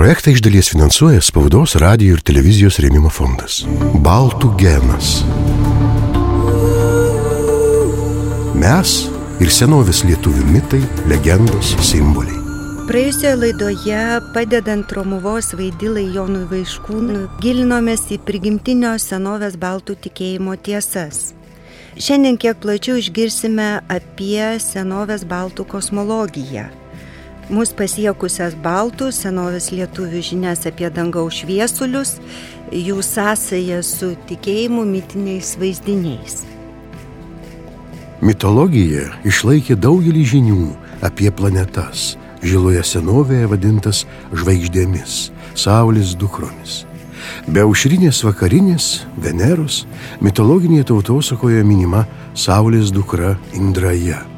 Projektą iš dalies finansuoja Spaudos, radijo ir televizijos rėmimo fondas. Baltų genas. Mes ir senovės lietuvių mitai, legendos, simboliai. Praėjusioje laidoje, padedant Romuvos vaidilai Jonui Vaiškūnui, gilinomės į prigimtinio senovės baltų tikėjimo tiesas. Šiandien kiek plačiau išgirsime apie senovės baltų kosmologiją. Mūsų pasiekusias baltų senovės lietuvių žinias apie dangaus šviesulius, jų sąsają su tikėjimu mitiniais vaizdiniais. Mitologija išlaikė daugelį žinių apie planetas, žiloje senovėje vadintas žvaigždėmis, Saulės dukromis. Be aušrinės vakarinės, Veneros, mitologinėje tautosakoje minima Saulės dukra Indraja,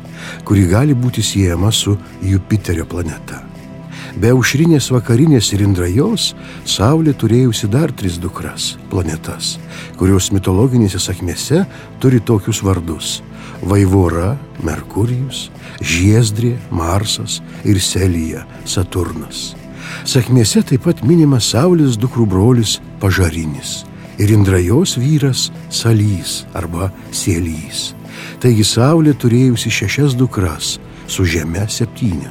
kuri gali būti siejama su Jupiterio planeta. Be aušrinės vakarinės ir Indrajos, Saulė turėjusi dar 3 dukras, planetas, kurios mitologinėse sakmėse turi tokius vardus: Vaivora, Merkurijus, Žiezdrė, Marsas ir Selija, Saturnas. Sakmėse taip pat minimas Saulės dukrų brolis Pažarinis ir Indrajos vyras Salys arba Sielys. Taigi Saulė turėjusi 6 dukras, su Žeme 7.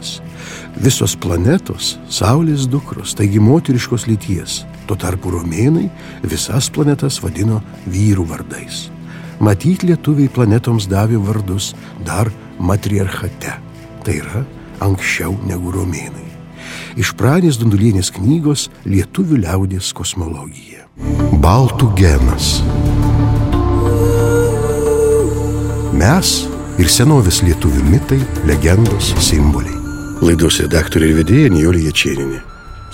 Visos planetos Saulės dukros, taigi moteriškos lyties. Tuo tarpu romėnai visas planetas vadino vyrų vardais. Matyt, lietuviai planetoms davė vardus dar matriarchate, tai yra anksčiau negu romėnai. Iš Pranės Dundulienės knygos Lietuvių liaudies kosmologija. Baltų genas. Mes ir senovės lietuvių mitai, legendos, simboliai. Laidos redaktorė ir vedėja Nijolė Jačėnienė.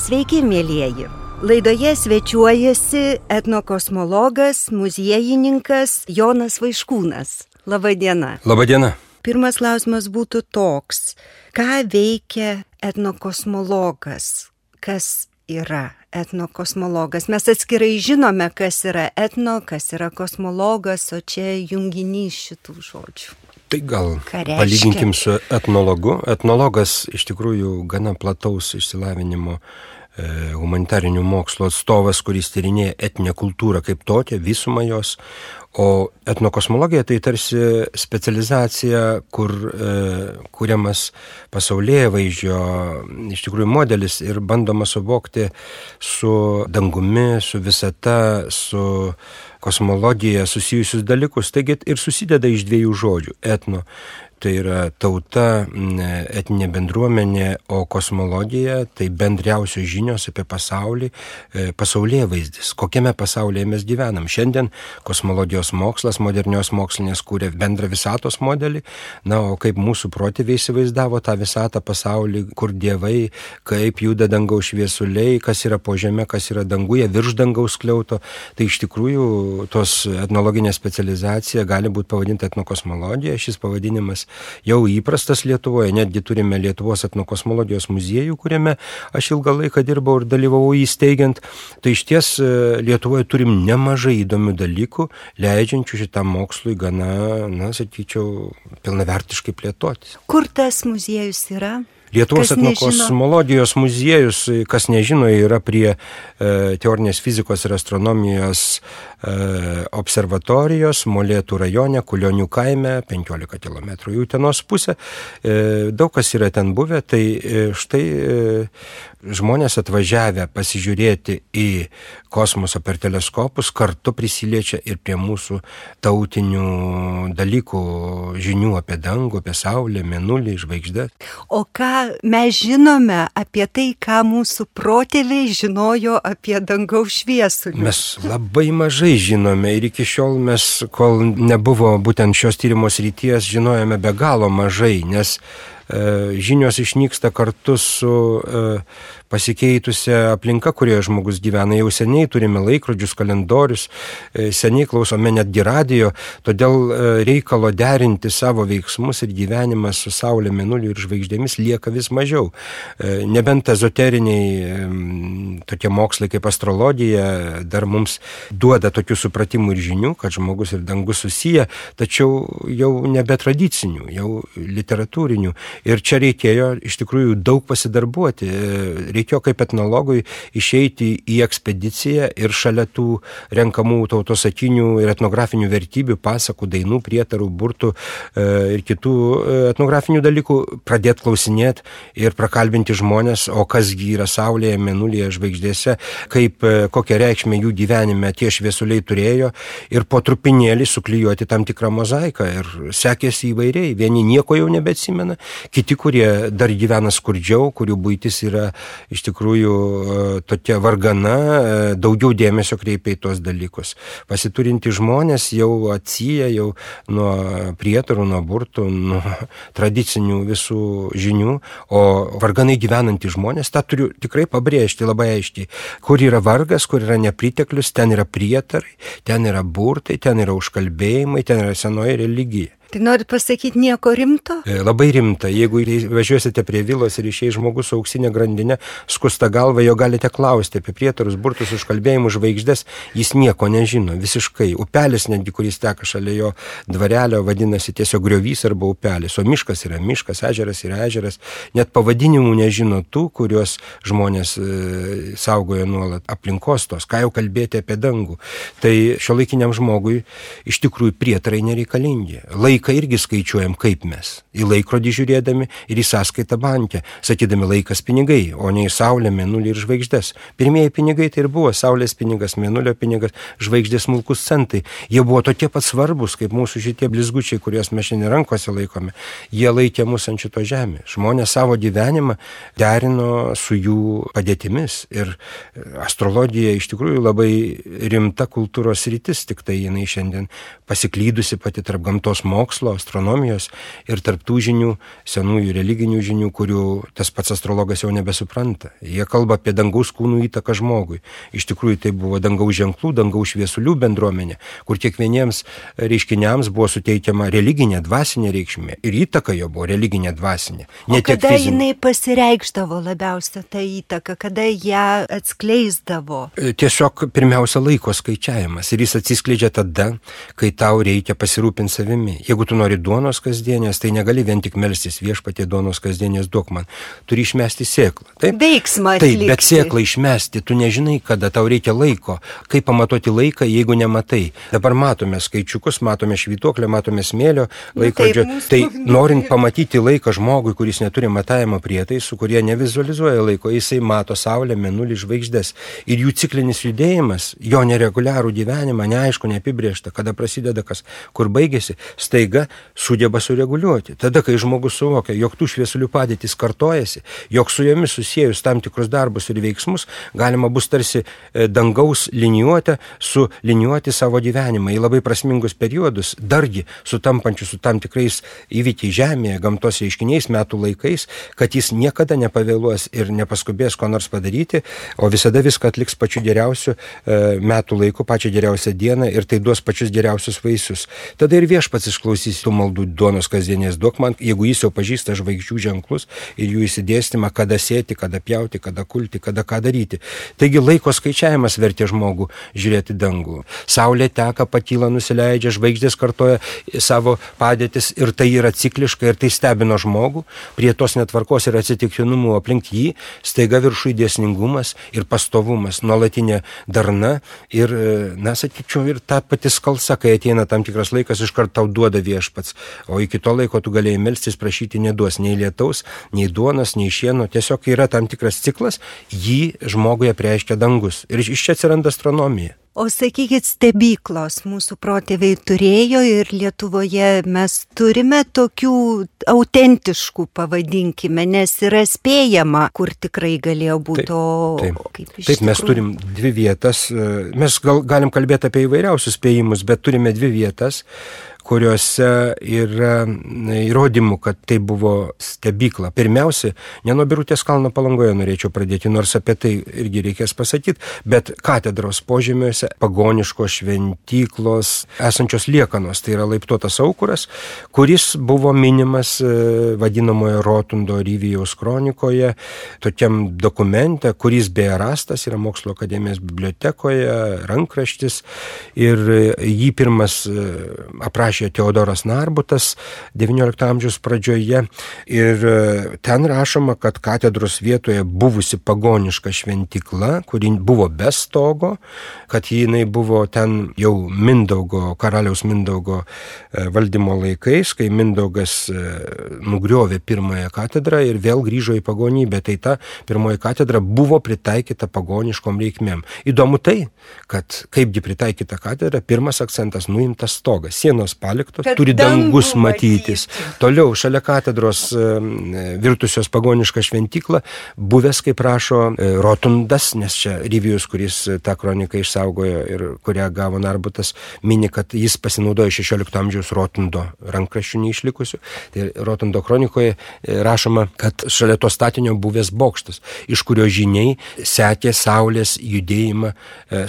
Sveiki, mielieji! Laidoje svečiuojasi etnokosmologas, muziejininkas Jonas Vaiškūnas. Labą dieną. Labą dieną. Pirmas klausimas būtų toks: ką veikia etnokosmologas? Kas yra etnokosmologas? Mes atskirai žinome, kas yra etno, kas yra kosmologas, o čia junginys šitų žodžių. Tai gal palyginkim su etnologu. Etnologas iš tikrųjų gana plataus išsilavinimo humanitarinių mokslo atstovas, kuris tyrinėja etninę kultūrą kaip tokią, visumą jos. O etnokosmologija tai tarsi specializacija, kur kuriamas pasaulėvaizdžio iš tikrųjų modelis ir bandoma suvokti su dangumi, su visata, su kosmologija susijusius dalykus. Taigi ir susideda iš 2 žodžių. Etno tai yra tauta, etninė bendruomenė, o kosmologija tai bendriausios žinios apie pasaulį, pasaulėvaizdis, kokiame pasaulyje mes gyvenam. Šiandien kosmologijos mokslas, modernios mokslinės kūrė bendrą visatos modelį, na, o kaip mūsų protėviai įsivaizdavo tą visatą pasaulį, kur dievai, kaip juda dangaus šviesuliai, kas yra po žeme, kas yra danguje, virš dangaus skliauto. Tai iš tikrųjų tos etnologinė specializacija gali būti pavadinta etnokosmologija. Šis pavadinimas jau įprastas Lietuvoje, netgi turime Lietuvos etnokosmologijos muziejų, kuriame aš ilgą laiką dirbau ir dalyvavau įsteigiant. Tai iš ties Lietuvoje turim nemažai įdomių dalykų, leidžiančių šitam mokslui gana, sakyčiau, pilnavertiškai plėtotis. Kur tas muziejus yra? Lietuvos etnokosmologijos muziejus, kas nežino, yra prie teorinės fizikos ir astronomijos observatorijos Molėtų rajone, Kulionių kaime, 15 km į Utenos pusę. Daug kas yra ten buvę, tai štai žmonės atvažiavę pasižiūrėti į kosmosą per teleskopus kartu prisiliečia ir prie mūsų tautinių dalykų, žinių apie dangų, apie Saulę, Mėnulį, žvaigždę. O ką mes žinome apie tai, ką mūsų protėviai žinojo apie dangaus šviesulį? Mes labai mažai žinome ir iki šiol mes, kol nebuvo būtent šios tyrimo srities, žinojome be galo mažai, nes žinios išnyksta kartu su pasikeitusią aplinką, kurioje žmogus gyvena. Jau seniai turime laikrodžius, kalendorius, seniai klausome netgi radijo, todėl reikalo derinti savo veiksmus ir gyvenimą su Saulė, Mėnuliu ir žvaigždėmis lieka vis mažiau. Nebent ezoteriniai tokie mokslai kaip astrologija dar mums duoda tokių supratimų ir žinių, kad žmogus ir dangus susiję, tačiau jau nebe tradicinių, jau literatūrinių. Ir čia reikėjo iš tikrųjų daug pasidarbuoti. Reikėjo kaip etnologui išeiti į ekspediciją ir šalia tų renkamų tautosakinių ir etnografinių vertybių, pasakų, dainų, prietarų, burtų ir kitų etnografinių dalykų pradėti klausinėti ir prakalbinti žmonės, o kasgi yra Saulėje, Mėnulyje, žvaigždėse, kaip kokią reikšmę jų gyvenime tie šviesuliai turėjo ir po trupinėlį suklijuoti tam tikrą mozaiką. Ir sekėsi įvairiai. Vieni nieko jau nebeatsimena, kiti, kurie dar gyvena skurdžiau, kurių buitis yra iš tikrųjų tokia vargana, daugiau dėmesio kreipia į tuos dalykus. Pasiturinti žmonės jau atsiję jau nuo prietarų, nuo burtų, nuo tradicinių visų žinių, o varganai gyvenantys žmonės, tą turiu tikrai pabrėžti labai aiškiai, kur yra vargas, kur yra nepriteklius, ten yra prietarai, ten yra burtai, ten yra užkalbėjimai, ten yra senoji religija. Tai nori pasakyti nieko rimto? Labai rimta. Jeigu važiuosite prie vilos ir išeis žmogus su auksinė grandinė, skusta galva, jo galite klausti apie prietarus, burtus, užkalbėjimus, žvaigždės, jis nieko nežino, visiškai. Upelis netgi, kuris teka šalia jo dvarelio, vadinasi tiesiog griovys arba upelis, o miškas yra miškas, ežeras yra ežeras. Net pavadinimų nežino tų, kuriuos žmonės saugoja nuolat aplinkos tos, ką jau kalbėti apie dangų. Tai šiuolaikiniam žmogui iš tikrųjų prietarai nereikalingi. Laiką irgi skaičiuojam kaip mes. Į laikrodį žiūrėdami ir į sąskaitą banke, sakydami laikas pinigai, o ne į Saulę, Mėnulį ir žvaigždės. Pirmieji pinigai tai ir buvo Saulės pinigas, Mėnulio pinigas, žvaigždės smulkus centai. Jie buvo tokie pat svarbus, kaip mūsų šitie blizgučiai, kuriuos mes šiandien rankose laikome. Jie laikė mus ant šito žemė. Žmonės savo gyvenimą derino su jų padėtimis. Ir astrologija iš tikrųjų labai rimta kultūros rytis, tik tai jinai šiandien pasiklydusi pati tarp gamtos mokslo, astronomijos ir tarptų žinių, senųjų religinių žinių, kurių tas pats astrologas jau nebesupranta. Jie kalba apie dangaus kūnų įtaką žmogui. Iš tikrųjų tai buvo dangaus ženklų, dangaus šviesulių bendruomenė, kur kiekvieniems reiškiniams buvo suteikiama religinė, dvasinė reikšmė. Ir įtaka jo buvo religinė, dvasinė. O kada jinai pasireikšdavo labiausia ta įtaka, kada ją atskleisdavo? Tiesiog pirmiausia laiko skaičiavimas. Ir jis atsiskleidžia tada, kai tau reikia pasirūpinti savimi. Jeigu tu nori duonos kasdienės, tai negali vien tik melstis viešpatie duonos kasdienės duok man. Turi išmesti sėklą. Taip? Veiksmą atlikti. Taip, bet sėklą išmesti, tu nežinai, kada tau reikia laiko. Kaip pamatuoti laiką, jeigu nematai. Dabar matome skaičiukus, matome švytuoklę, matome smėlio laikrodžio. Tai norint pamatyti laiką žmogui, kuris neturi matavimo prietaisų, kurie nevizualizuoja laiko, jisai mato Saulę, Mėnulį, žvaigždės. Ir jų ciklinis judėjimas, jo nereguliarų gyvenimą, neaišku, neapibrėžta, kada prasideda kas, kur baigėsi, staiga sugeba sureguliuoti. Tada, kai žmogus suvokia, jog tų šviesulių padėtis kartojasi, jog su jomis susiejus tam tikrus darbus ir veiksmus, galima bus tarsi dangaus liniuotę suliniuoti savo gyvenimą į labai prasmingus periodus, dargi sutampančius su tam tikrais įvykiai žemėje, gamtos reiškiniais, metų laikais, kad jis niekada nepavėluos ir nepaskubės ko nors padaryti, o visada viską atliks pačiu geriausiu metų laiku, pačią geriausią dieną ir tai duos pačius geriausius vaisius. Tada ir viešpats išklausys tų maldų duonos kasdienės duok man, jeigu jis jau pažįsta žvaigždžių ženklus ir jų įsidėstymą, kada sėti, kada pjauti, kada kulti, kada ką daryti. Taigi laiko skaičiavimas vertė žmogų žiūrėti dangų. Saulė teka, pakyla, nusileidžia, žvaigždės kartoja savo padėtis ir tai yra cikliška ir tai stebino žmogų. Prie tos netvarkos ir atsitiktinumų aplink jį staiga viršui dėsningumas ir pastovumas, nuolatinė darna ir, sakyčiau, ir ta pati skalsa, kai ateina tam tikras laikas, iškart tau duoda viešpats. O iki to laiko tu galėjai melstis, prašyti, neduos nei lietaus, nei duonos, nei šieno. Tiesiog yra tam tikras ciklas, jį žmogui apreiškia dangus. Ir iš čia atsiranda astronomija. O sakykit, stebyklos mūsų protėviai turėjo ir Lietuvoje mes turime tokių autentiškų, pavadinkime, nes yra spėjama, kur tikrai galėjo būti. Taip, mes turim dvi vietas, mes galim kalbėti apie įvairiausius spėjimus, bet turime dvi vietas, kuriuose yra įrodymų, kad tai buvo stebykla. Pirmiausia, ne nuo Birutės kalno Palangoje norėčiau pradėti, nors apie tai irgi reikės pasakyti, bet katedros požemiuose pagoniškos šventyklos esančios liekanos, tai yra laiptuotas aukuras, kuris buvo minimas vadinamoje Rotundo Ryvijaus kronikoje, tokiam dokumente, kuris beje rastas yra Mokslo akademijos bibliotekoje, rankraštis, ir jį pirmas aprašė Teodoras Narbutas XIX amžiaus pradžioje, ir ten rašoma, kad katedros vietoje buvusi pagoniška šventykla, kuri buvo be stogo, kad jinai buvo ten jau karaliaus Mindaugo valdymo laikais, kai Mindaugas nugriovė pirmąją katedrą ir vėl grįžo į pagonybę. Tai ta pirmoji katedra buvo pritaikyta pagoniškom reikmėm. Įdomu tai, kad kaipgi pritaikyta katedra, pirmas akcentas nuimtas stogas, sienos paliktos, turi dangus matytis. Toliau, šalia katedros virtusios pagonišką šventyklą, buvęs, kaip rašo Rotundas, nes čia Ryvijus, kuris tą kroniką išsaugojo ir kurią gavo Narbutas, mini, kad jis pasinaudojo 16 amžiaus Rotundo rankraščių neišlikusių. Tai Rotundo kronikoje rašoma, kad šalia to statinio buvęs bokštas, iš kurio žiniai sekė saulės judėjimą,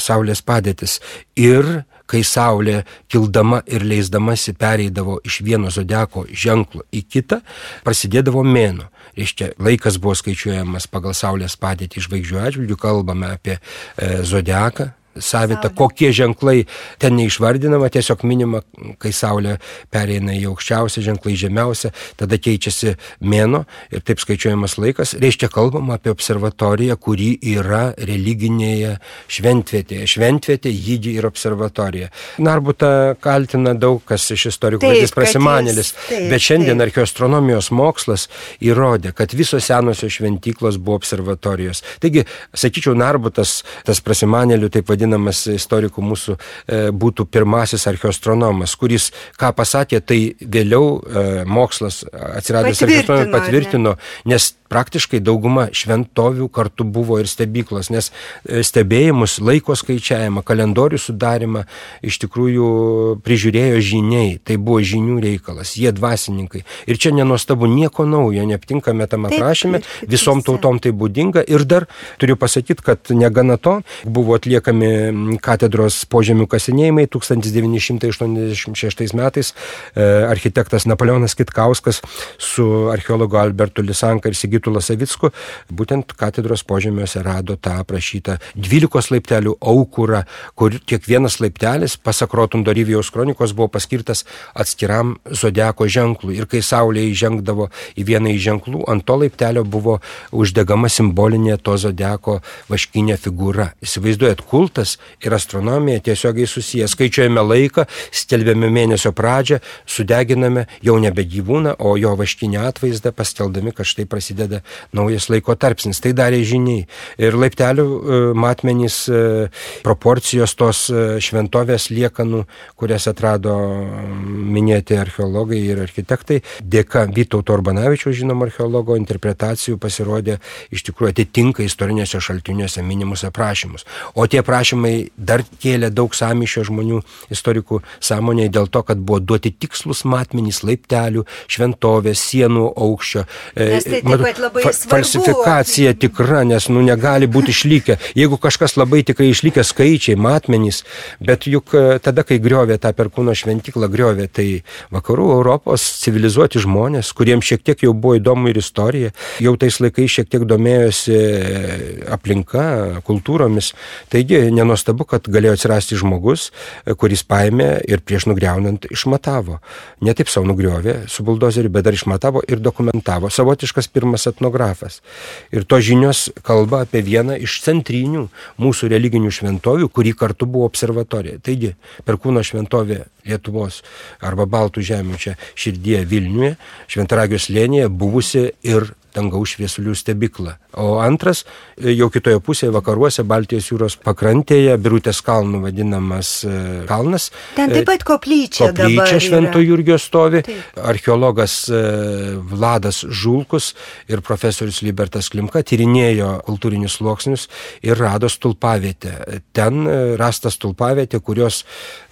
saulės padėtis. Ir kai saulė kildama ir leisdamasi pereidavo iš vieno zodiako ženklo į kitą, prasidėdavo mėnuo. Reiškia, laikas buvo skaičiuojamas pagal saulės padėtį žvaigždžių atžvilgių, kalbame apie zodiaką, savitą, kokie ženklai ten neišvardinama, tiesiog minima, kai saulė pereina į aukščiausią, ženklai žemiausią, tada keičiasi mėnuo ir taip skaičiuojamas laikas. Reiškia, kalbama apie observatoriją, kuri yra religinėje šventvietėje. Šventvietė, jydi ir observatorija. Narbutą kaltina daug kas iš istorikų, kad jis prasimanėlis, bet šiandien archeoastronomijos mokslas įrodė, kad visos senosios šventyklos buvo observatorijos. Taigi, sakyčiau, Narbutas, tas prasimanėlių, taip vadinamas istorikų mūsų, būtų pirmasis archeoastronomas, kuris, ką pasakė, tai vėliau mokslas atsiradęs archeoastronomijos patvirtino, nes praktiškai dauguma šventovių kartu buvo ir stebyklos, nes stebėjimus, laiko skaičiavimą, kalendorių sudarimą iš tikrųjų prižiūrėjo žyniai, tai buvo žynių reikalas, jie dvasininkai. Ir čia nenuostabu, nieko naujo, neaptinkame tam aprašyme, visom tautom tai būdinga. Ir dar turiu pasakyti, kad negana to, buvo atliekami katedros požemių kasinėjimai 1986 metais. Architektas Napoleonas Kitkauskas su archeologu Albertu Lisanka ir Sigitu Lasavicku būtent katedros požemiuose rado tą aprašytą 12 laiptelių aukurą, kur kiekvienas laiptelis, pasak Rotundo Ryvijaus kronikos, buvo paskirtas atskiram zodiako ženklui. Ir kai saulė įžengdavo į vieną iš ženklų, ant to laiptelio buvo uždegama simbolinė to zodiako vaškinė figūra. Įsivaizduojat, kultas ir astronomija tiesiogiai susiję. Skaičiuojame laiką, skelbiame mėnesio pradžią, sudeginame jau nebe gyvūną, o jo vaškinę atvaizdą, paskeldami, kad štai prasideda naujas laiko tarpsnis. Tai darė žyniai. Ir laiptelių matmenys, proporcijos tos šventovės liekanų, kurias atrado minėti archeologai ir architektai, dėka Vytauto Urbanavičiaus, žinom, archeologo interpretacijų pasirodė iš tikrųjų atitinka istorinėse šaltiniuose minimus aprašymus. O tie aprašymai dar kėlė daug sąmyšio žmonių, istorikų sąmonėje dėl to, kad buvo duoti tikslus matmenys laiptelių, šventovės, sienų aukščio. Falsifikacija tikra, nes negali būti išlikę. Jeigu kažkas labai tikrai išlikę skaičiai, matmenys, bet juk tada, kai griovė tą Perkūno šventyklą, griovė tai vakarų Europos civilizuoti žmonės, kuriems šiek tiek jau buvo įdomu ir istorija, jau tais laikais šiek tiek domėjosi aplinka, kultūromis. Taigi, nenuostabu, kad galėjo atsirasti žmogus, kuris paėmė ir prieš nugriaunant išmatavo. Ne taip savo nugriovė su buldozeriu, bet dar išmatavo ir dokumentavo. Savotiškas pirmas etnografas. Ir to žinios kalba apie vieną iš centrinių mūsų religinių šventovių, kuri kartu buvo observatorija. Taigi, Perkūno šventovė Lietuvos arba Baltų žemių čia širdyje Vilniuje, Šventaragio slėnyje buvusi ir dangaus šviesulių stebuklą. O antras, jau kitoje pusėje vakaruose, Baltijos jūros pakrantėje, Birutės kalnų vadinamas kalnas. Ten taip pat koplyčia Švento Jurgio stovi. Taip. Archeologas Vladas Žulkus ir profesorius Libertas Klimka tyrinėjo kultūrinius sluoksnius ir rado stulpavietę. Ten rasta stulpavietė, kurios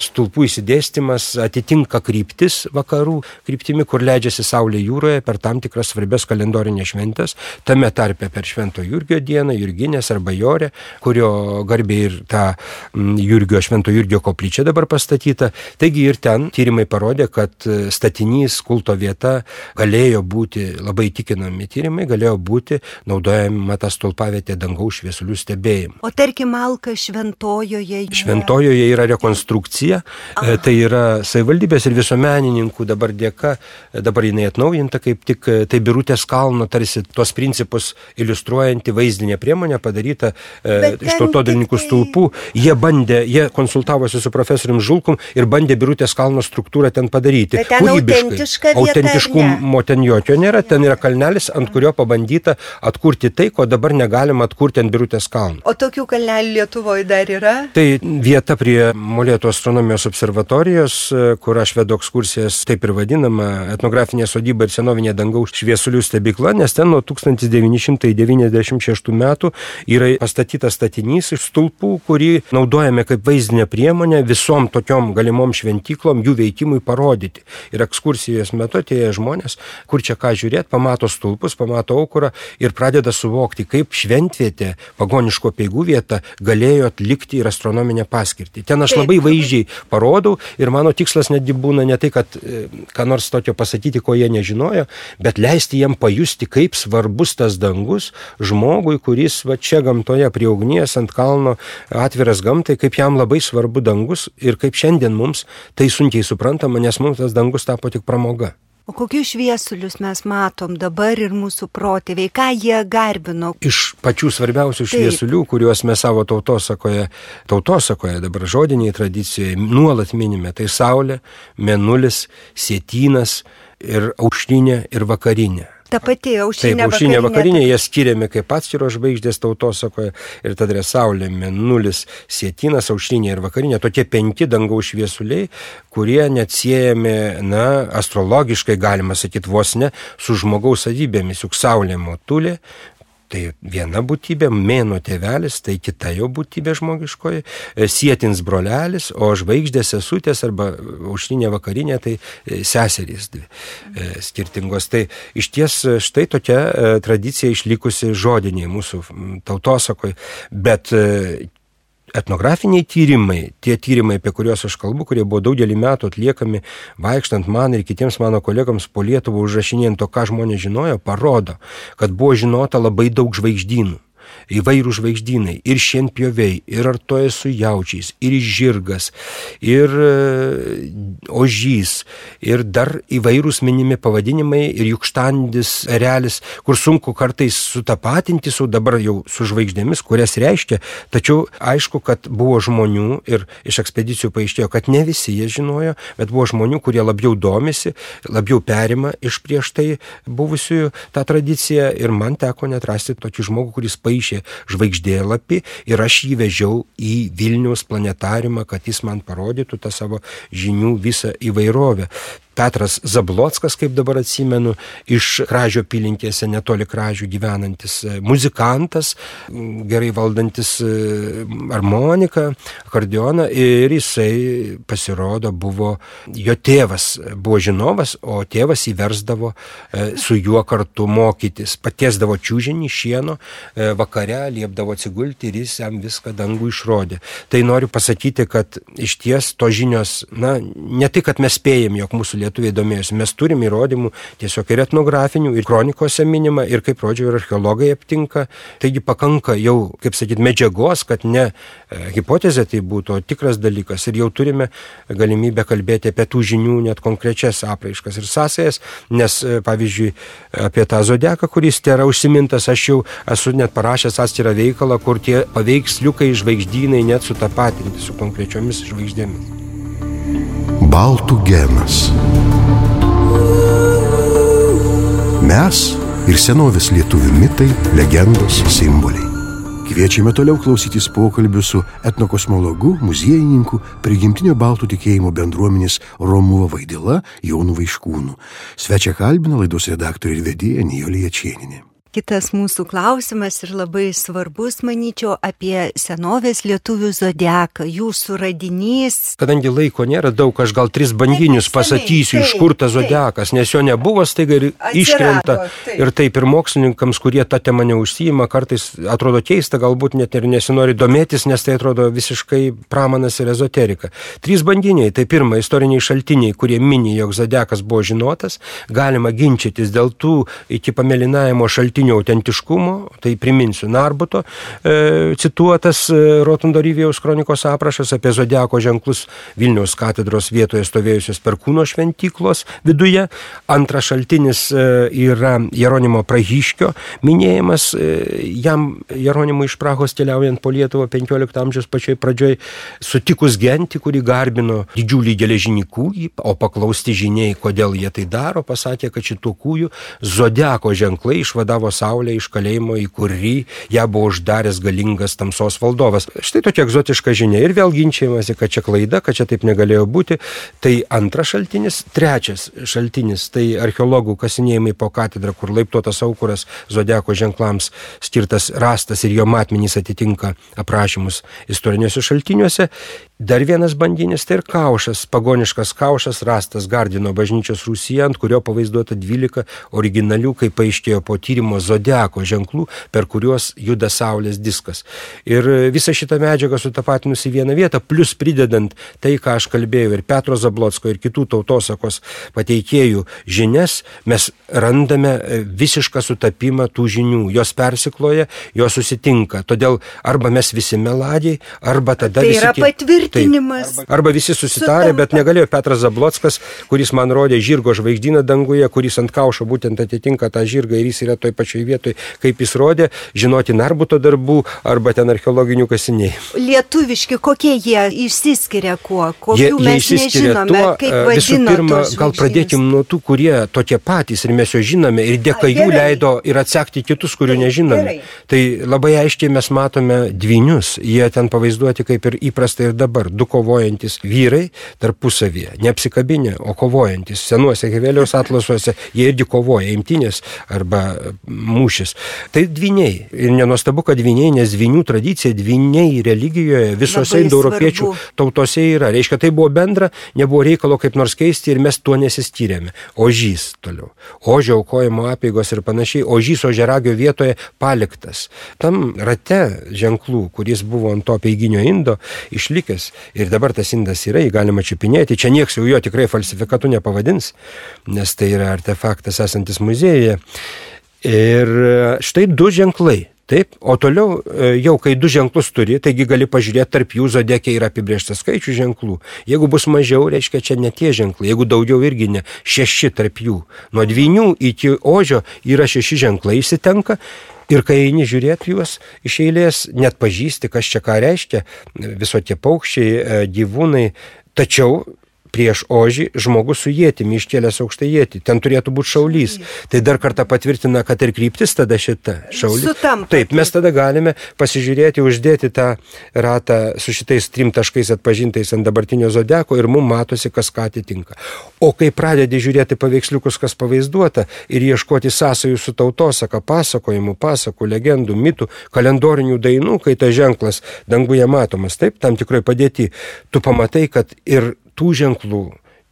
stulpų įsidėstymas atitinka kryptis vakarų kryptimi, kur leidžiasi Saulė jūroje per tam tikras svarbias kalendorinės šventės, tame tarpe per Švento Jurgio dieną, Jurginės arba Jorė, kurio garbė ir ta Švento Jurgio koplyčia dabar pastatyta. Taigi ir ten tyrimai parodė, kad statinys, kulto vieta galėjo būti, labai tikinami tyrimai, galėjo būti naudojama ta stulpavietė dangaus šviesulių stebėjimui. O tarkim, Alka Šventojoje? Šventojoje yra rekonstrukcija, tai yra savivaldybės ir visuomenininkų dabar dėka, dabar jinai atnaujinta kaip tik, tai Birutės kalno tarsi tuos principus iliustruojanti vaizdinė priemonė padaryta iš tautodalininkų stulpų. Jie konsultavosi su profesorium Žulkum ir bandė Birutės kalno struktūrą ten padaryti. Bet ten autentiška vieta, autentiškumo ten jokio nėra, ten yra kalnelis, ant kurio pabandyta atkurti tai, ko dabar negalima atkurti ant Birutės kalno. O tokių kalnelių Lietuvoje dar yra? Tai vieta prie Molėtų astronomijos observatorijos, kur aš vedu ekskursijas, taip ir vadinama, etnografinė sodyba ir senovinė dangaus šviesulių stebykla, nes ten nuo 1996 metų yra pastatytas statinys iš stulpų, kurį naudojame kaip vaizdinę priemonę visom tokiom galimom šventyklom jų veikimui parodyti. Ir ekskursijos metu atėję žmonės, kur čia ką žiūrėti, pamato stulpus, pamato aukurą ir pradeda suvokti, kaip šventvietė, pagoniško peigų vieta galėjo atlikti ir astronominę paskirtį. Ten aš labai vaizdžiai parodau ir mano tikslas netgi būna ne tai, kad ką nors tokio pasakyti, ko jie nežinojo, bet leisti jiem pajusti, kaip svarbus tas dangus žmogui, kuris va čia gamtoje prie ugnies ant kalno atviras gamtai, kaip jam labai svarbu dangus ir kaip šiandien mums tai sunkiai suprantama, nes mums tas dangus tapo tik pramoga. O kokius šviesulius mes matom dabar ir mūsų protėviai, ką jie garbino? Iš pačių svarbiausių šviesulių, kuriuos mes savo tautosakoje dabar žodiniai tradicijoje nuolat minime, tai Saulė, Mėnulis, Sietynas ir aušrinė ir vakarinė. Ta pati aušrinė, taip, aušrinė vakarinė, jie skiriami kaip atskiros žvaigždės tautosakoje ir tada yra Saulė, Mėnulis, Sietynas, aušrinė ir vakarinė. Tokie 5 dangaus šviesuliai, kurie neatsiejami, astrologiškai galima sakyti vos ne, su žmogaus savybėmis. Juk Saulė motulė, tai viena būtybė, Mėnuo tėvelis, tai kita jau būtybė žmogiškoji, Sietins brolelis, o žvaigždės sesutės arba aušrinė vakarinė, tai seserys dvi skirtingos. Tai iš ties štai tokia tradicija išlikusi žodiniai mūsų tautosakoje, bet etnografiniai tyrimai, tie tyrimai, apie kuriuos aš kalbu, kurie buvo daugelį metų atliekami vaikštant man ir kitiems mano kolegams po Lietuvą užrašinėjant to, ką žmonės žinojo, parodo, kad buvo žinota labai daug žvaigždynų. Įvairių žvaigždynai, ir šienpjoviai, ir artoja su jaučiais, ir žirgas, ir ožys, ir dar įvairūs minimi pavadinimai, ir jukštandis erelis, kur sunku kartais sutapatinti su dabar jau su žvaigždėmis, kurias reiškia, tačiau aišku, kad buvo žmonių ir iš ekspedicijų paaiškėjo, kad ne visi jie žinojo, bet buvo žmonių, kurie labiau domisi, labiau perima iš prieš tai buvusiųjų tą tradiciją ir man teko net rasti tokį žmogų, kuris paaiškė žvaigždėlapį ir aš jį vežiau į Vilniaus planetariumą, kad jis man parodytų tą savo žinių visą įvairovę. Petras Zablockas, kaip dabar atsimenu, iš Kražių apylinkėse, netoli Kražių gyvenantis muzikantas, gerai valdantis armoniką, akordeoną, ir jisai pasirodo jo tėvas buvo žinovas, o tėvas įversdavo su juo kartu mokytis, patiesdavo čiužinį šieno, vakare liepdavo atsigulti ir jis jam viską dangų išrodė. Tai noriu pasakyti, kad iš ties to žinios, ne tai, kad mes spėjam, jog mūsų lietuviai domėjosi. Mes turim įrodymų tiesiog ir etnografinių, ir kronikose minima, ir kaip rodžiau, ir archeologai aptinka. Taigi pakanka jau, kaip sakyti, medžiagos, kad ne hipotezė tai būtų, o tikras dalykas. Ir jau turime galimybę kalbėti apie tų žinių net konkrečias apraiškas ir sąsajas, nes, pavyzdžiui, apie tą zodiaką, kuris yra užsimintas, aš jau esu net parašęs atskirą veikalą, kur tie paveiksliukai žvaigždynai net sutapatinti su konkrečiomis žvaigždėmis. Baltų genas. Mes ir senovės lietuvių mitai, legendos, simboliai. Kviečiame toliau klausytis pokalbių su etnokosmologu, muziejininku, prigimtinio baltų tikėjimo bendruomenės Romuva Vaidila Jonu Vaiškūnu. Svečią kalbina laidos redaktorė ir vedėja Nijolė Jačėnienė. Kitas mūsų klausimas ir labai svarbus, manyčiau, apie senovės lietuvių zodiaką, jūsų radinys. Kadangi laiko nėra daug, aš gal 3 banginius pasakysiu, iš kur tas zodiakas, nes jo nebuvo, staiga ir iškrenta. Ir taip, ir mokslininkams, kurie tą temą neužsijima, kartais atrodo keista, galbūt net ir nesinori domėtis, nes tai atrodo visiškai pramanas ir ezoterika. 3 banginiai, tai pirma, istoriniai šaltiniai, kurie mini, jog zodiakas buvo žinotas, galima ginčytis dėl tų iki pamėlynavimo šaltinių autentiškumo, tai priminsiu Narbuto cituotas Rotundo Ryvėjaus kronikos aprašas apie zodiako ženklus Vilniaus katedros vietoje stovėjusios Perkūno šventyklos viduje. Antras šaltinis yra Jeronimo Prahiškio minėjimas, jam Jeronimui iš Prahos keliaujant po Lietuvą 15 amžiaus pačioj pradžioj sutikus gentį, kuri garbino didžiulį geležinį kūjį, o paklausti žiniai, kodėl jie tai daro, pasakė, kad šitų kūjų zodiako ženklai išvadavo Saulę iš kalėjimo, į kurį ją buvo uždaręs galingas tamsos valdovas. Štai tokia egzotiška žinia ir vėl ginčiamasi, kad čia klaida, kad čia taip negalėjo būti. Tai antras šaltinis. Trečias šaltinis, tai archeologų kasinėjimai po katedrą, kur laiptuotas aukuras zodiako ženklams skirtas rastas ir jo matmenys atitinka aprašymus istoriniuose šaltiniuose. Dar vienas bandinis, tai ir kaušas, pagoniškas kaušas rastas Gardino bažnyčios rūsyje, ant kurio pavaizduota 12 originalių, kaip paaiškėjo po tyrimo, zodiako ženklų, per kuriuos juda Saulės diskas. Ir visą šitą medžiagą sutapatinus į vieną vietą, plus pridedant tai, ką aš kalbėjau, ir Petro Zablocko, ir kitų tautosakos pateikėjų žinias, mes randame visišką sutapimą tų žinių. Jos persikloja, jos susitinka. Todėl arba mes visi meladiai, arba tada tai visi... Tai yra patvirtinimas. Arba visi susitarė, bet negalėjo Petras Zablockas, kuris man rodė žirgo žvaigždyną danguje, kuris ant kaušo būtent atitinka tą žirgą ir jis yra toj pačioj vietoj, kaip jis rodė, žinoti Narbuto darbų arba ten archeologinių kasinėjimų. Lietuviški, kokie jie išsiskiria kuo? Kokių mes nežinome, tuo, kaip vadino visų pirma, tos gal pradėkim nuo tų, kurie tokie patys ir mes jo žinome ir dėka jų leido ir atsekti kitus, kurių nežinome. Tai labai aiškiai mes matome dvynius, jie ten pavaizduoti kaip ir įprasta ir dabar, 2 kovojantis vyrai tarpusavyje, neapsikabinę, o kovojantis. Senuose Hevelijaus atlasuose jie irgi kovoja, imtynės arba mūšis. Tai dvyniai. Ir nenuostabu, kad dvyniai, nes dvynių tradicija, dvyniai religijoje visose indoeuropiečių tautose yra. Reiškia, tai buvo bendra, nebuvo reikalo kaip nors keisti ir mes tuo nesistyrėme. Ožys toliau. Ožio aukojimo apeigos ir panašiai. Ožys ožiaragio vietoje paliktas. Tam rate ženklų, kuris buvo ant to apeiginio indo, išlikęs. Ir dabar tas indas yra, jį galima čiupinėti. Čia nieks jau jo tikrai falsifikatu nepavadins, nes tai yra artefaktas esantis muziejuje. Ir štai 2 ženklai. Taip, o toliau jau kai 2 ženklus turi, taigi gali pažiūrėti, tarp jų zodiake yra apibrėžtas skaičių ženklų. Jeigu bus mažiau, reiškia, čia ne tie ženklai. Jeigu daugiau, irgi ne. 6 tarp jų. Nuo dvynių iki ožio yra 6 ženklai išsitenka. Ir kai eini žiūrėti juos iš eilės, net pažįsti, kas čia ką reiškia, visokie paukščiai, gyvūnai. Tačiau prieš ožį žmogus su ietimi iškėlęs aukštą ietį. Ten turėtų būti šaulys. Tai dar kartą patvirtina, kad ir kryptis tada šita šaulys. Sutampa. Taip, mes tada galime pasižiūrėti, uždėti tą ratą su šitais 3 taškais atpažintais ant dabartinio zodiako ir mums matosi, kas ką atitinka. O kai pradedi žiūrėti paveiksliukus, kas pavaizduota ir ieškoti sąsajų su tautosaka, pasakojimų, pasakų, legendų, mitų, kalendorinių dainų, kai tas ženklas danguje matomas, taip, tam tikrai padėti, tu pamatai, kad ir tų ženklų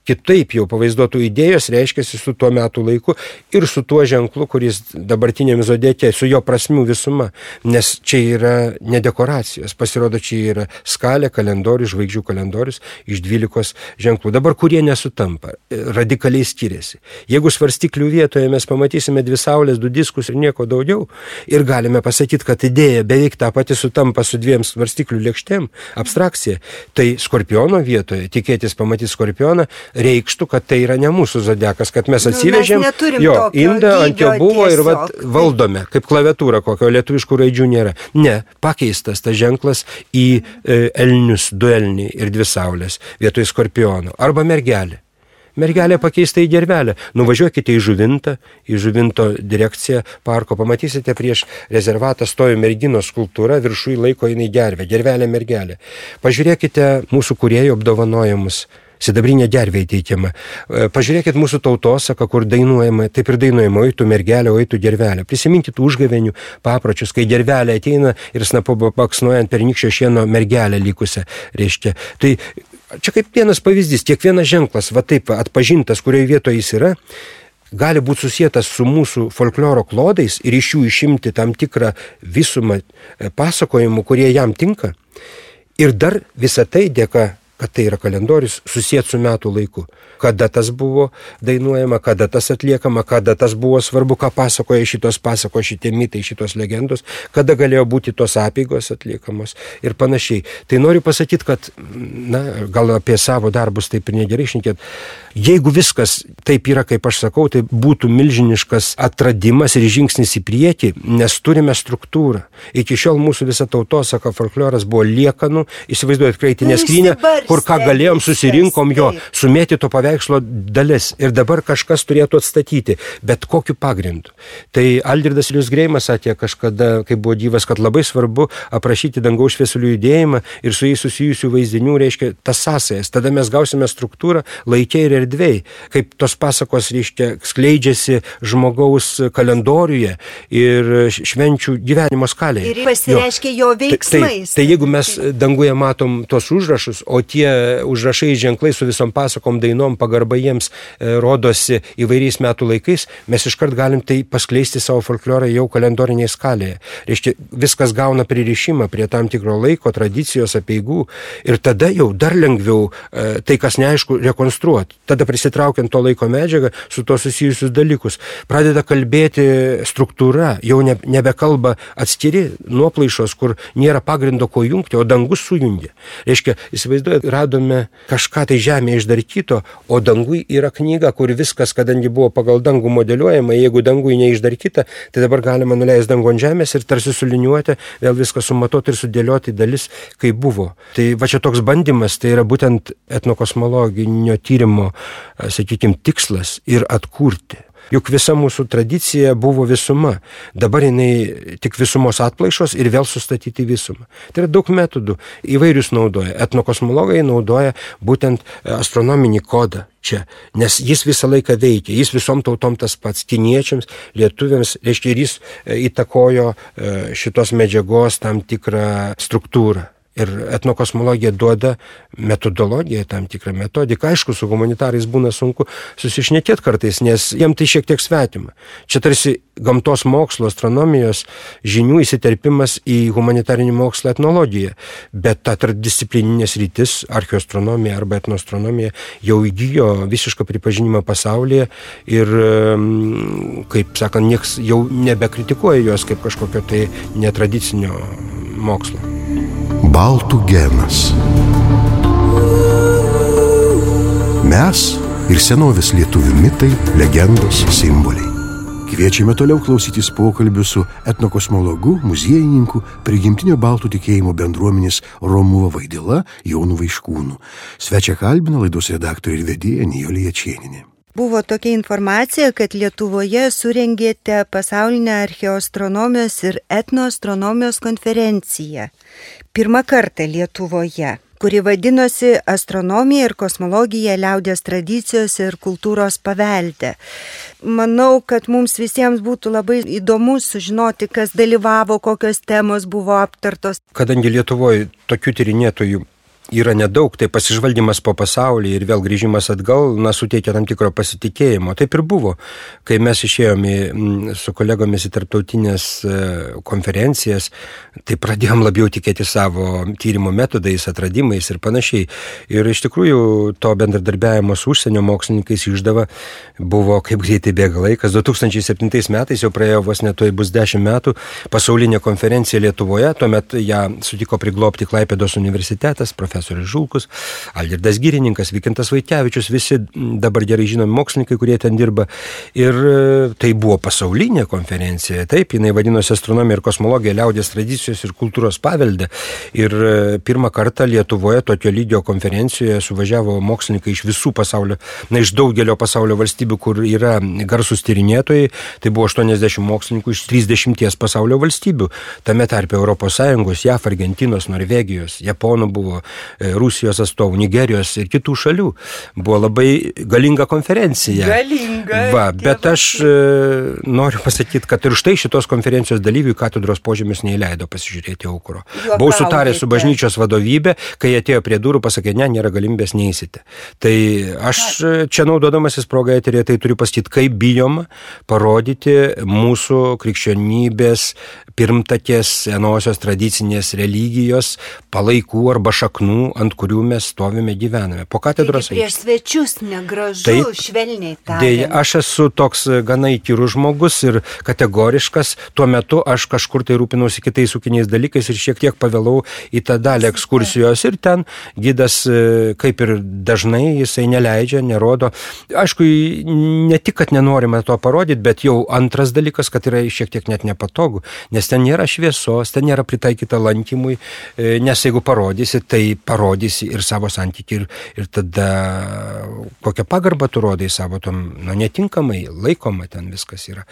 kitaip jau pavaizduotų idėjos reiškiasi su tuo metų laiku ir su tuo ženklu, kuris dabartiniam zodiake, su jo prasmių visuma. Nes čia yra ne dekoracijos, pasirodo, čia yra skalė, kalendorius, žvaigždžių kalendorius iš 12 ženklų. Dabar kurie nesutampa, radikaliai skiriasi. Jeigu svarstyklių vietoje mes pamatysime 2 saulės, 2 diskus ir nieko daugiau, ir galime pasakyti, kad idėja beveik tą patį sutampa su 2 svarstyklių lėkštėm, abstrakcija, tai skorpiono vietoje, tikėtis pamatyti skorpioną, reikštų, kad tai yra ne mūsų zodiakas, kad mes atsivežėm jo indą, ant jo buvo ir valdome, kaip klaviatūra kokio, lietuviškų raidžių nėra. Ne, pakeistas tas ženklas į elnius, 2 elniai ir 2 saulės vietoj skorpiono. Arba mergelė. mergelė pakeista į gervelę. Nuvažiuokite į Žuvinto direkciją parko, pamatysite prieš rezervatą stovi merginos skulptūra, viršui laiko jinai gervelė mergelė. Pažiūrėkite mūsų kūrėjų apdovanojimus. Sidabrinė gervė įteikiama. Pažiūrėkit mūsų tautosaką, kur dainuojama, taip ir dainuojama, oi tu mergelė, oi tu gervelė. Prisiminkit užgavėnių papročius, kai gervelė ateina ir snapu baksnuojant pernykščio šieno mergelę likusią, reiškia. Tai čia kaip vienas pavyzdys, kiekvienas ženklas, va taip atpažintas, kurioje vietoje jis yra, gali būti susietas su mūsų folkloro klodais ir iš jų išimti tam tikrą visumą pasakojimų, kurie jam tinka. Ir dar visą tai dėka, kad tai yra kalendorius, susijęs su metų laiku. Kada tas buvo dainuojama, kada tas atliekama, kada tas buvo svarbu, ką pasakoja šitie mitai, šitos legendos, kada galėjo būti tos apeigos atliekamos ir panašiai. Tai noriu pasakyti, kad, gal apie savo darbus taip ir negerai šnekėt. Jeigu viskas taip yra, kaip aš sakau, tai būtų milžiniškas atradimas ir žingsnis į priekį, nes turime struktūrą. Iki šiol mūsų visa tautosaka, folkloras buvo liekanų, įsivaizduojat, kraitinė skrynia, kur ką galėjom, susirinkom jo, sumėtyto paveikslo dalis ir dabar kažkas turėtų atstatyti, bet kokiu pagrindu. Tai Algirdas Ilius Greimas sakė kažkada, kai buvo gyvas, kad labai svarbu aprašyti dangaus šviesulių judėjimą ir su jais susijusių vaizdinių, reiškia, tas sąsajas. Tada mes gausime struktūrą laike ir erdvėj, kaip tos pasakos, reiškia, skleidžiasi žmogaus kalendoriuje ir švenčių gyvenimo skalėje. Ir pasireiškia jo veiksmais. Tai jeigu mes danguje matom tos užrašus, o tie užrašai ženklai su visom pasakom, dainom, pagarba jiems rodosi įvairiais metų laikais, mes iškart galim tai paskleisti savo folklorą jau kalendorinėje skalėje. Reiškia, viskas gauna pririšimą prie tam tikro laiko, tradicijos, apeigų ir tada jau dar lengviau tai, kas neaišku, rekonstruoti. Tada prisitraukiant to laiko medžiagą su to susijusius dalykus. Pradeda kalbėti struktūra, jau nebekalba atskiri nuoplaišos, kur nėra pagrindo ko jungti, o dangus sujungia. Reiškia, įsivaizduojat, radome kažką tai žemėje išdarkyto, o dangui yra knyga, kur viskas, kadangi buvo pagal dangų modeliuojama, jeigu dangui neišdarkyta, tai dabar galima nuleisti dangų ant žemės ir tarsi suliniuoti, vėl viską sumatuoti ir sudėlioti dalis, kaip buvo. Tai va čia toks bandymas, tai yra būtent etnokosmologinio tyrimo, sakykime, tikslas ir atkurti. Juk visa mūsų tradicija buvo visuma. Dabar jinai tik visumos atplaišos ir vėl sustatyti visumą. Tai yra daug metodų. Įvairius naudoja. Etnokosmologai naudoja būtent astronominį kodą čia, nes jis visą laiką veikia. Jis visom tautom tas pats. Kiniečiams, lietuviams, reiškia, ir jis įtakojo šitos medžiagos tam tikrą struktūrą. Ir etnokosmologija duoda metodologiją, tam tikrą metodiką. Aišku, su humanitarais būna sunku susišnekėti kartais, nes jiem tai šiek tiek svetima. Čia tarsi gamtos mokslo, astronomijos žinių įsiterpimas į humanitarinį mokslą etnologiją. Bet ta tarpdisciplininės rytis, archeoastronomija arba etnoastronomija, jau įgijo visišką pripažinimą pasaulyje ir, kaip sakant, nieks jau nebekritikuoja jos kaip kažkokio tai netradicinio mokslo. Baltų genas. Mes ir senovės lietuvių mitai, legendos, simboliai. Kviečiame toliau klausytis pokalbių su etnokosmologu, muziejininku, prigimtinio baltų tikėjimo bendruomenės Romuva Vaidila Jonu Vaiškūnu. Svečią kalbina laidos redaktorė ir vedėja Nijolė Jačėnienė. Buvo tokia informacija, kad Lietuvoje surengėte pasaulinę archeoastronomijos ir etnoastronomijos konferenciją. Pirmą kartą Lietuvoje, kuri vadinosi Astronomija ir kosmologija liaudies tradicijos ir kultūros pavelde. Manau, kad mums visiems būtų labai įdomu sužinoti, kas dalyvavo, kokios temos buvo aptartos. Kadangi Lietuvoje tokių tyrinėtojų yra nedaug, tai pasižvalgymas po pasaulį ir vėl grįžimas atgal, suteikia tam tikro pasitikėjimo. Taip ir buvo, kai mes išėjome su kolegomis į tarptautinės konferencijas, tai pradėjom labiau tikėti savo tyrimo metodais, atradimais ir panašiai. Ir iš tikrųjų to bendradarbiavimo su užsienio mokslininkais išdava buvo, kaip greitai bėga laikas. 2007 metais, jau praėjo vos netoj bus 10 metų, pasaulinė konferencija Lietuvoje, tuomet ją sutiko priglobti Klaipėdos universitetas, profesorius profesorius Žulkus, Algirdas Girininkas, Vykintas Vaitkevičius, visi dabar gerai žinomi mokslininkai, kurie ten dirba. Ir tai buvo pasaulinė konferencija. Taip, jinai vadinosi Astronomija ir kosmologija liaudies tradicijos ir kultūros pavelde. Ir pirmą kartą Lietuvoje tokio lygio konferencijoje suvažiavo mokslininkai iš visų pasaulio, iš daugelio pasaulio valstybių, kur yra garsus tyrinėtojai. Tai buvo 80 mokslininkų iš 30 pasaulio valstybių. Tame tarpe Europos Sąjungos, JAF, Argentinos, Norvegijos, Japonų buvo, Rusijos atstovų, Nigerijos ir kitų šalių. Buvo labai galinga konferencija. Bet aš noriu pasakyti, kad ir štai šitos konferencijos dalyvių katedros požemius neįleido pasižiūrėti aukuro. Buvau sutaręs su bažnyčios vadovybė, kai atėjo prie durų, pasakė, nėra galimybės, neįsite. Tai aš čia naudodamasis progą eterėje, tai turiu pasakyti, kaip bijoma parodyti mūsų krikščionybės pirmtakės senosios tradicinės religijos palaikų arba šaknų, ant kurių mes stovime, gyvename. Po katedros. Taigi prieš svečius negražu, švelniai tariant. Dėja, aš esu toks gana įkyrus žmogus ir kategoriškas. Tuo metu aš kažkur tai rūpinausi kitais ūkiniais dalykais ir šiek tiek pavėlau į tą dalį ekskursijos ir ten gidas, kaip ir dažnai, jisai neleidžia, nerodo. Aišku, ne tik, kad nenorime to parodyti, bet jau antras dalykas, kad yra šiek tiek net nepatogu, nes ten nėra šviesos, ten nėra pritaikyta lankymui, nes jeigu parodysi, tai parodysi ir savo santykį ir tada kokią pagarbą tu rodai savo tom, netinkamai laikoma ten viskas yra.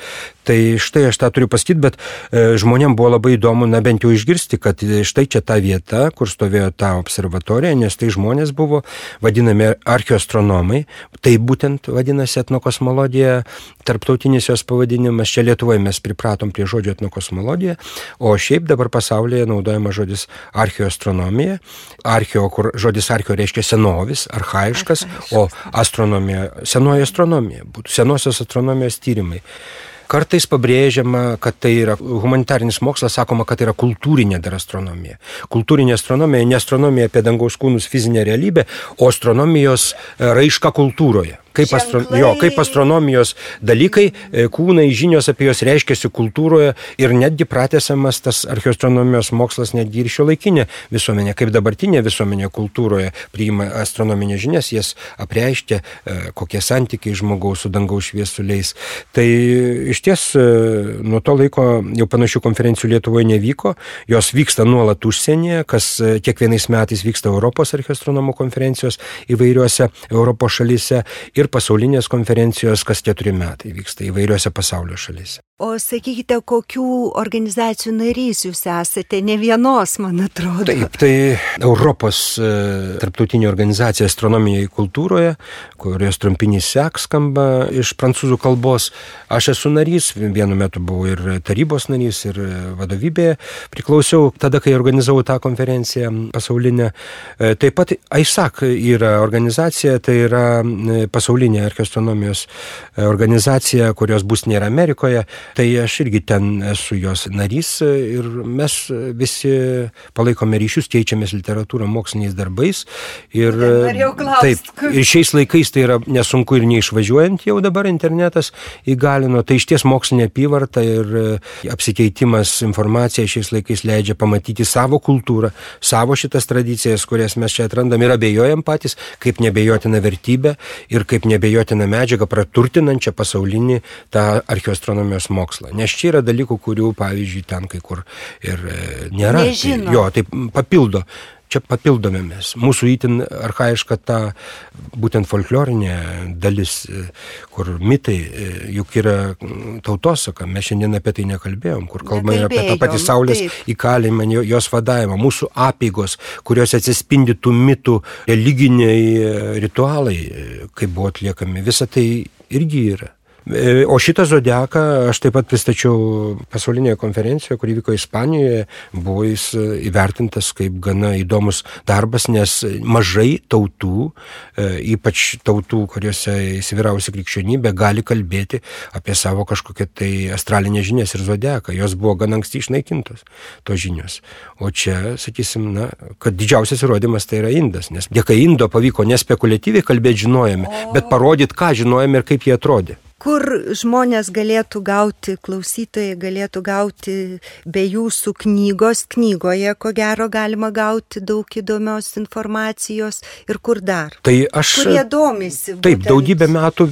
Tai štai aš tą turiu pasakyti, bet žmonėm buvo labai įdomu, bent jau išgirsti, kad štai čia ta vieta, kur stovėjo ta observatorija, nes tai žmonės buvo vadinami archeoastronomai, tai būtent vadinasi etnokosmologija, tarptautinis jos pavadinimas, čia Lietuvoje mes pripratom prie žodžio etnokosmologija, o šiaip dabar pasaulyje naudojama žodis archeoastronomija, kur žodis archeo reiškia senovis, archaiškas, o astronomija, senoji astronomija, būtų senosios astronomijos tyrimai. Kartais pabrėžiama, kad tai yra humanitarinis mokslas, sakoma, kad tai yra kultūrinė dar astronomija. Kultūrinė astronomija, ne astronomija apie dangaus kūnus fizinę realybę, o astronomijos raiška kultūroje. Kaip astronomijos dalykai, kūnai, žinios apie jos reiškiasi kultūroje ir netgi pratęsiamas tas archeoastronomijos mokslas netgi ir šiuolaikinė visuomenė, kaip dabartinė visuomenė kultūroje priima astronominės žinias, jas apreiškia, kokie santykiai žmogaus su dangaus šviesuliais. Tai iš ties nuo to laiko jau panašių konferencijų Lietuvoje nevyko, jos vyksta nuolat užsienyje, kas kiekvienais metais vyksta Europos archeoastronomų konferencijos įvairiuose Europos šalyse ir pasaulinės konferencijos kas 4 metai vyksta įvairiuose pasaulio šalyse. O sakykite, kokių organizacijų narys jūs esate? Ne vienos, man atrodo. Taip, tai Europos tarptautinė organizacija astronomijai kultūroje, kurios trumpinys SEC skamba iš prancūzų kalbos. Aš esu narys, vienu metu buvau ir tarybos narys, ir vadovybėje priklausiau tada, kai organizavau tą konferenciją pasaulinę. Taip pat AISAC yra organizacija, tai yra pasaulinė archeoastronomijos organizacija, kurios būstinė yra Amerikoje. Tai aš irgi ten esu jos narys ir mes visi palaikome ryšius, keičiamės literatūrą moksliniais darbais. Ir, taip, ir šiais laikais tai yra nesunku ir neišvažiuojant jau dabar internetas įgalino. Tai išties mokslinė apyvarta ir apsikeitimas informacija šiais laikais leidžia pamatyti savo kultūrą, savo šitas tradicijas, kurias mes čia atrandam ir abejojam patys, kaip nebejotina vertybė ir kaip nebejotina medžiaga praturtinančią pasaulinį tą archeoastronomijos mokslą. Nes čia yra dalykų, kurių, pavyzdžiui, ten kai kur ir nėra. Tai papildo. Čia papildome mes. Mūsų itin archaiška ta būtent folklorinė dalis, kur mitai, juk yra tautosaka. Mes šiandien apie tai nekalbėjom, kur kalbame apie tą patį saulės įkalimą, jos vadavimą, mūsų apeigos, kurios atsispindi tų mitų religiniai ritualai, kaip buvo atliekami. Visa tai irgi yra. O šitą zodiaką aš taip pat pristačiau pasaulinėje konferencijoje, kuri vyko Ispanijoje, buvo jis įvertintas kaip gana įdomus darbas, nes mažai tautų, ypač tautų, kuriuose įsivyrausi krikščionybė, gali kalbėti apie savo kažkokią tai astralinę žinias ir zodiaką. Jos buvo gana anksti išnaikintos, tos žinios. O čia, sakysim, kad didžiausias įrodymas tai yra indas, nes dėka indo pavyko nespekuliatyviai kalbėti žinojame, bet parodyti, ką žinojame ir kaip jie atrodė. kur žmonės galėtų gauti, klausytojai galėtų gauti be jūsų knygos. Knygoje, ko gero, galima gauti daug įdomios informacijos ir kur dar. Tai aš... Kurie domisi. Taip, daugybę metų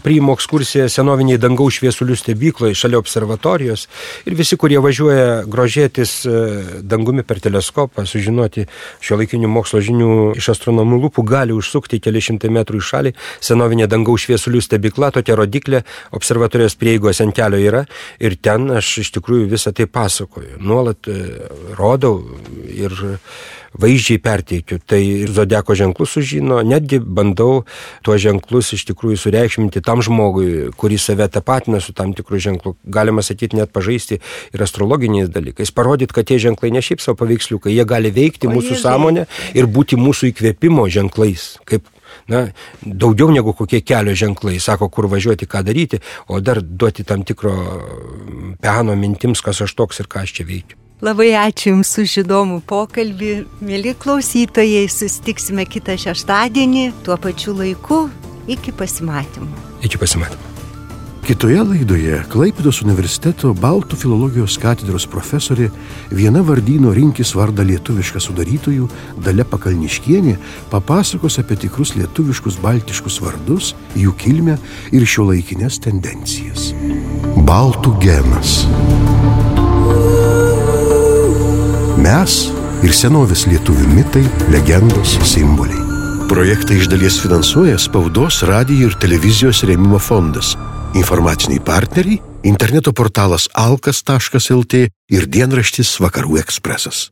priimu ekskursiją senoviniai dangaus šviesulių stebykloje šalia observatorijos ir visi, kurie važiuoja grožėtis dangumi per teleskopą, sužinoti šiuolaikinių mokslo žinių iš astronomų lūpų, gali užsukti keli šimtai metrų į šalį. Senovinė dangaus šviesulių stebykla, tokia rodiklė, observatorijos prieigos ant kelio yra ir ten aš iš tikrųjų visą tai pasakoju. Nuolat rodau ir vaizdžiai perteikiu. Tai ir zodiako ženklus sužino, netgi bandau tuos ženklus iš tikrųjų sureikšminti tam žmogui, kuris save tapatina su tam tikrų ženklų. Galima sakyti, net pažaisti ir astrologiniais dalykais. Parodyti, kad tie ženklai ne šiaip savo paveiksliukai, jie gali veikti mūsų sąmonę ir būti mūsų įkvėpimo ženklais, kaip daugiau negu kokie kelio ženklai, sako, kur važiuoti, ką daryti, o dar duoti tam tikro peno mintims, kas aš toks ir ką aš čia veikiu. Labai ačiū Jums už įdomų pokalbį. Mėly klausytojai, susitiksime kitą šeštadienį, tuo pačiu laiku. Iki pasimatymo. Iki pasimatymo. Kitoje laidoje Klaipėdos universiteto baltų filologijos katedros profesorė, viena vardyno rinkis vardą lietuvišką sudarytojų Dalia Pakalniškienė papasakos apie tikrus lietuviškus baltiškus vardus, jų kilmę ir šiuolaikines tendencijas. Baltų genas. Mes ir senovės lietuvių mitai, legendos, simboliai. Projektą iš dalies finansuoja Spaudos, radijo ir televizijos rėmimo fondas. Informaciniai partneriai – interneto portalas alkas.lt ir dienraštis Vakarų ekspresas.